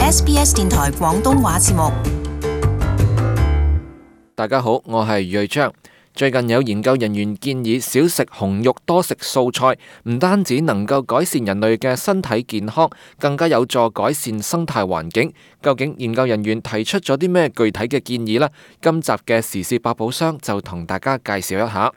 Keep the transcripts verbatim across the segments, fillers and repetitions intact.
S B S 電台廣東話節目。大家好，我係瑞章。最近有研究人員建議少食紅肉，多食素菜，唔單止能夠改善人類嘅身體健康，更加有助改善生態環境。究竟研究人員提出咗啲咩具體嘅建議呢？今集嘅時事百寶箱就同大家介紹一下。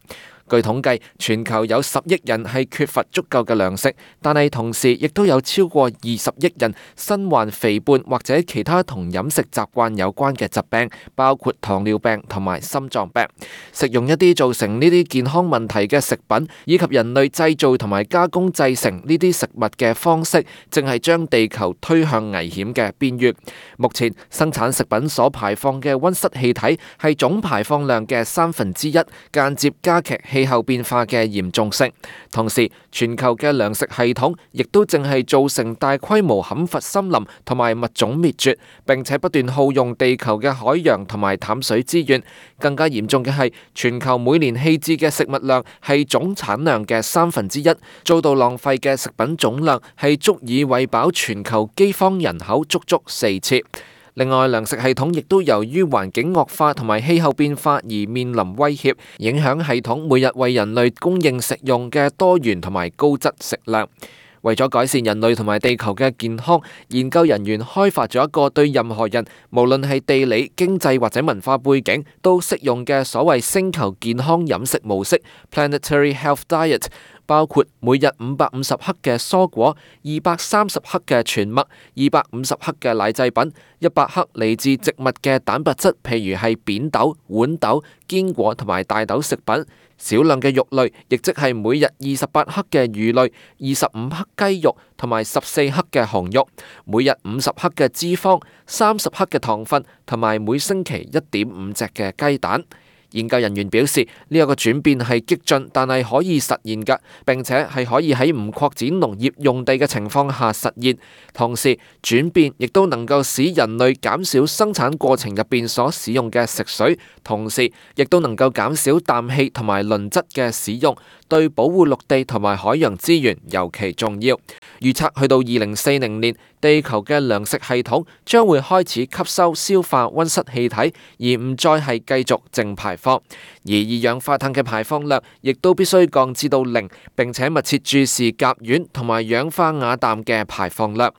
據統計，全球有十億人係缺乏足夠嘅糧食，但係同時亦都有超過二十億人身患肥胖或者其他同飲食習慣有關嘅疾病，包括糖尿病同埋心臟病。食用一啲造成呢啲健康問題嘅食品，以及人類製造同埋加工製成呢啲食物嘅方式，正係將地球推向危險嘅邊緣。目前生產食品所排放嘅溫室氣體係總排放量嘅三分之一，間接加劇氣候變化嘅嚴重性。同時，全球嘅糧食系統亦都正係造成大規模砍伐森林同埋物種滅絕，並且不斷耗用地球嘅海洋同埋淡水資源。更加嚴重嘅係，全球每年棄置嘅食物量係總產量嘅三分之一，遭到浪費嘅食品總量係足以餵飽全球饑荒人口足足四次。另外，糧食系統亦都由於環境惡化同埋氣候變化而面臨威脅，影響系統每日為人類供應食用嘅多元同埋高質食糧。為咗改善人類同埋地球嘅健康，研究人員開發咗一個對任何人，無論係地理、經濟或者文化背景都適用嘅所謂星球健康飲食模式 （Planetary Health Diet）。包括每日五百五十克嘅蔬果、二百三十克嘅全麥、二百五十克嘅奶製品、一百克嚟自植物嘅蛋白質，譬如係扁豆、豌豆、堅果同埋大豆食品；少量嘅肉類，亦即係每日二十八克嘅魚類、二十五克雞肉同埋十四克嘅紅肉；每日五十克嘅脂肪、三十克嘅糖分，同埋每星期一點五隻嘅雞蛋。研究人員表示，呢一個轉變係激進，但係可以實現㗎，並且係可以喺唔擴展農業用地嘅情況下實現。同時，轉變亦都能夠使人類減少生產過程入邊所使用嘅食水，同時亦都能夠減少氮氣同埋磷質嘅使用，對保護陸地同埋海洋資源尤其重要。預測去到二零四零年，地球嘅糧食系統將會開始吸收消化溫室氣體，而唔再係繼續淨排放。而二氧化碳嘅排放量亦都必須降至到零，並且密切注視甲烷同埋氧化亞氮嘅排放量。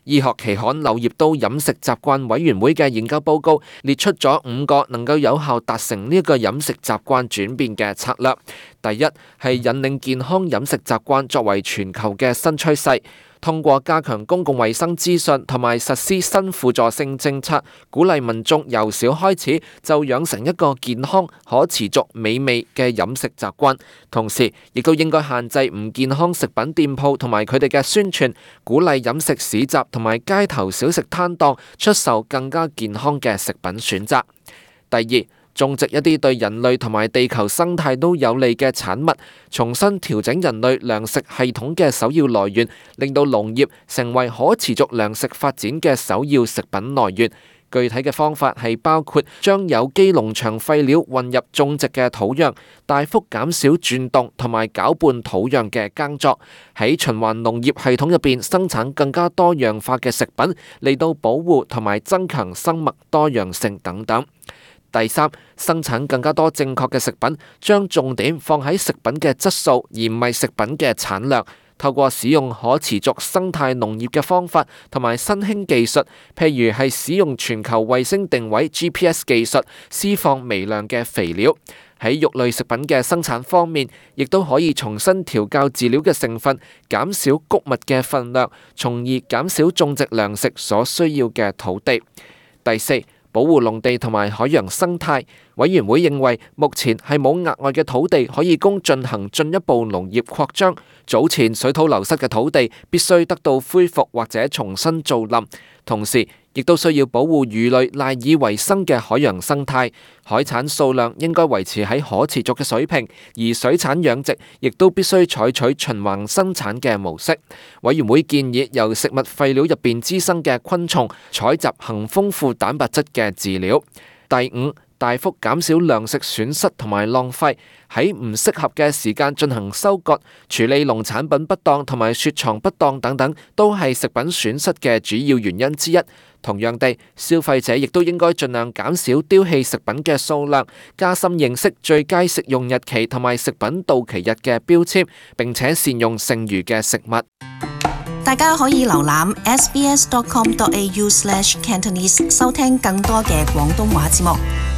醫學期刊《柳葉刀飲食習慣委員會》嘅研究報告列出咗五個能夠有效達成呢一個飲食習慣轉變嘅策略。第一係引領健康飲食習慣作為全球嘅新趨勢，通過加強公共衛生資訊同埋實施新輔助性政策，鼓勵民眾由小開始就養成一個健康、可持續、美味嘅飲食習慣。同時，亦都應該限制唔健康食品店鋪同埋佢哋嘅宣傳，鼓勵飲食市集同埋街頭小食攤檔出售更加健康嘅食品選擇。第二，種植一啲對人類同埋地球生態都有利嘅產物，重新調整人類糧食系統嘅首要來源，令到農業成為可持續糧食發展嘅首要食品來源。具體嘅方法係包括將有機農場廢料混入種植嘅土壤，大幅減少轉動同埋攪拌土壤嘅耕作，喺循環農業系統入邊生產更加多樣化嘅食品，嚟到保護同埋增強生物多樣性等等。第三，生產更加多正確嘅食品，將重點放喺食品嘅質素，而唔係食品嘅產量。透過使用可持續生態農業嘅方法同埋新興技術，譬如係使用全球衛星定位 G P S 技術，施放微量嘅肥料。喺肉類食品嘅生產方面，亦都可以重新調校飼料嘅成分，減少穀物嘅分量，從而減少種植糧食所需要嘅土地。第四，保護農地同埋海洋生態。委員會認為，目前係冇額外嘅土地可以供進行進一步農業擴張。早前水土流失嘅土地必須得到恢復或者重新造林，同時亦都需要保護魚類賴以為生嘅海洋生態。海產數量應該維持喺可持續嘅水平，而水產養殖亦都必須採取循環生產嘅模式。委員會建議由食物廢料入邊滋生嘅昆蟲採集含豐富蛋白質嘅飼料。第五，大幅減少糧食損失同埋浪費。喺唔適合嘅時間進行收割、處理農產品不當同埋雪藏不當等等，都係食品損失嘅主要原因之一。同樣地，消費者亦都應該盡量減少丟棄食品嘅數量，加深認識最佳食用日期同埋食品到期日嘅標籤，並且善用剩餘嘅食物。大家可以瀏覽 s b s dot com dot a u slash cantonese 收聽更多嘅廣東話節目。